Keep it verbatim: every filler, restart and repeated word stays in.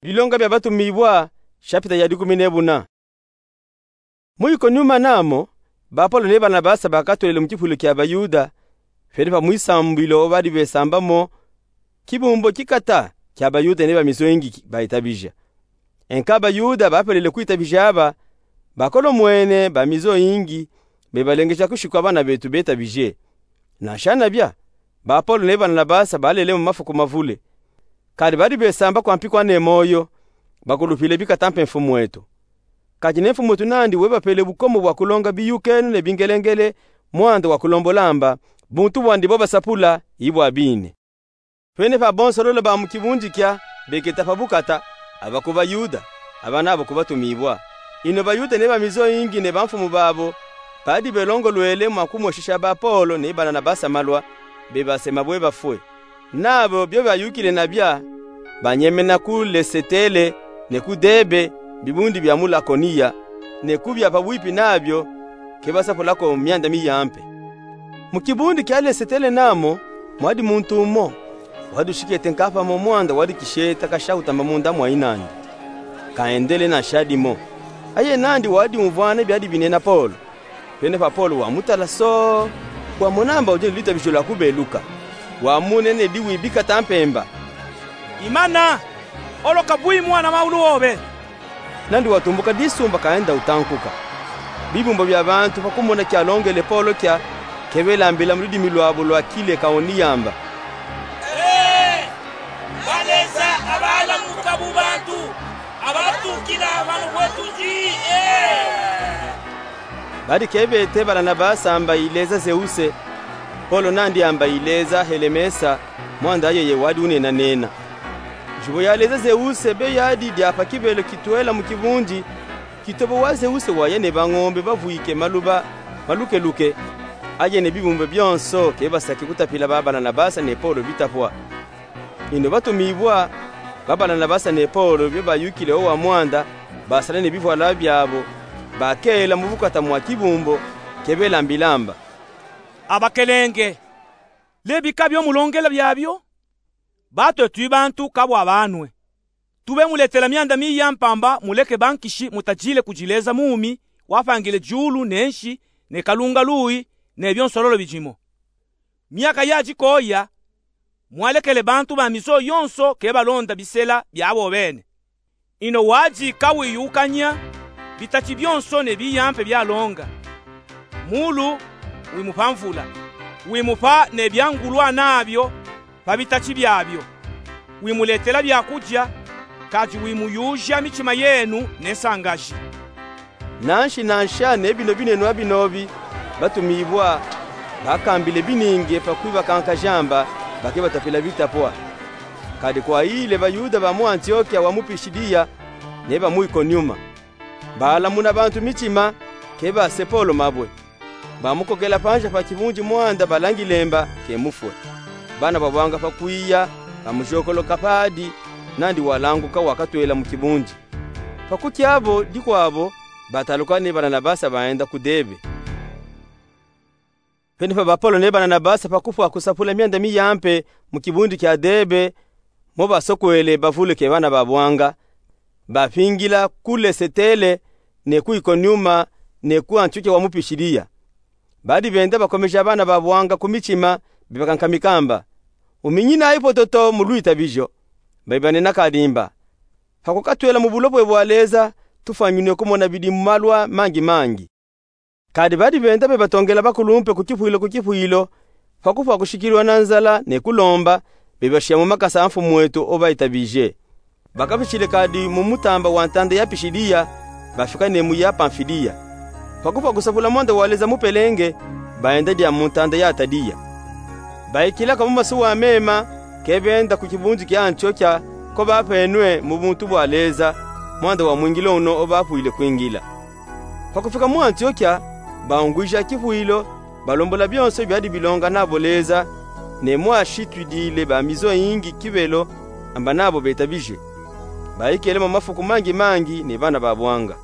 Bilonga bia Batumibwa, shapita ya dikumi ne buna. Mu Ikoniuma namo, ba Polo ne Banabasa bakatwele mu kipwilo kia Bayuda, fwene pa mwisambwilo wo badi besambamo kibumbo kikata kia Bayuda ne ba mizoyingi ki-, bayitabija. Enka Bayuda bapelele kuyitabija aba, bakolomwene ba mizoyingi, bebalengeja kushiku bana betu betabije. Nansha nabia, ba Polo ne Banabasa balele mu mafuku mavule. Kadi badi besamba kwa mpikwa ne moyo, bakulupile bikata mpe mfumuetu. Kadi ne mfumuetu nandi webapele bukomo bwa kulonga biyukenu ne bingelengele, mwanda wa kulombola amba, buntu bwandi bo basapula, ibwa bine. Fwene pa bonso lolo ba mu kibundi kia, beketa pa bukata, aba ku Bayuda, aba nabo ku Batumibwa. Ino Bayuda ne ba mizoyingi ne bamfumu babo, badi belongolwele mwa kumweshisha ba Polo ne Banabasa malwa, bebasema bwe bafwe. Nabo bio bayukile nabia, banyemena ku Lesetele ne ku Debe, bibundi bia mu Lakoniya, ne ku bia pabwipi nabio, ke basapulako mianda miyampe. Mu kibundi kia Lesetele namo, mwadi muntu umo, wadi ushikete nkapa mo mwanda wadi kisheta kasha utamba munda mwa inandi. Kaendele nansha dimo. Aye nandi wadi umvwana biadi binena Polo. Fwene pa Polo wamutala so, wamona amba udi ne lwitabijilo lwa kubeluka. Wamune ne diwi bikata mpemba: Imana, oloka bwi mwana mawulu wobe. Nandi watumbuka disumba kaenda utankuka. Bibumbo bia bantu pa kumona kialongele Polo kia, ke belambila mu ludimi lwabo lwa Kilekaoniya amba: Ee, baleza abalamuka mu bantu, abatukila hanu kwetu ndi, ee. Badi ke bete Banabasa amba ileza Zeuse, Polo nandi amba ileza Helemesa, mwanda yeye wadi unenanena. Njubu yaleza Zeuse be yadi dia pa kibelo kitwela mu kibundi, kitobo wa Zeuse waya ne bangombe bavwike maluba malukeluke, aye ne bibumbo bionso ke basaki kutapila ba Banabasa ne Polo bitapwa. Ino Batumibwa, ba Banabasa ne Polo bio bayukile o wa mwanda, basala ne bivwala biabo, bakela mu bukata mwa kibumbo, ke belambila amba: Abakelenge, lebika bio mulongela biabio, batwe twi bantu kabwa banwe. Tube muletela mianda miya mpamba muleke bankishi mutadile kudileza muumi wapangile diulu ne nsi ne kalunga luyi ne bionso lolo bidimo. Myaka yadi koya, mwalekele bantu ba mizo yonso ke balonda bisela biabo bene. Ino wadi kawiyukanya bitati bionso ne biyampe bialonga. Mulu wimupa mvula, wimupa ne biangulwa nabio pa bitati biabio, wimuletela biakudia, kadi wimuyuja mitima yenu ne nsangaji. Nanshi nansha ne bino binenwa binobi, Batumibwa bakambile bininge pa kwibakankaja amba ba ke batapila bitapwa. Kadi kwayile Bayuda ba mu Antiokia wa mu Pisidiya ne ba mu Ikoniuma. Balamuna bantu mitima, ke base Polo mabwe. Bamukokela panza pa kibundi mwanda balangile amba ke mufwe. Bana ba bwanga pa kwiya, bamujokoloka padi, nandi walanguka wakatwela mu kibundi. Pa kukiabo dikwabo, bataluka ne Banabasa baenda ku Debe. Fwene pa ba Polo ne Banabasa pa kufwa kusapula mianda miyampe mu kibundi kia Debe, mo basokwele bavuluke bana ba bwanga, bapingila ku Lesetele, ne ku Ikoniuma, ne ku Antiokia wa mu Pisidiya. Badi benda bakomeja bana ba bwanga ku mitima, bebakankamika amba: Uminyinayi pototo mu lwitabijo. Bayibanena kadi amba: Pa kukatwela mu bulopwe bwa Leza, tufwanyinwe kumona bidimu malwa mangi mangi. Kadi badi benda bebatongela bakulumpe ku kipwilo ku kipwilo, pa kufwa kushikilwa na nzala ne kulomba, bebashiya mu makasa a mfumuetu o bayitabije. Bakafishile kadi mu mutamba wa ntanda ya Pisidiya, bafika ne mu ya Pamfiliya. Pa kufwa kusapula mwanda wa Leza mupelenge, baenda dia mu ntanda ya Ataliya. Bayikilaka mu masuwa mema, ke benda ku kibundi kia Antiokia, ko bapenwe mu buntu bwa Leza, mwanda wa mwingilo uno o bapwile kwingila. Pa kufika mu Antiokia, baungwija kipwilo, balombola bionso biadi bilonga nabo Leza, ne mwashitwidile ba mizo yingi kibelo, amba nabo betabije. Bayikele mo mafuku mangi mangi ne bana ba bwanga.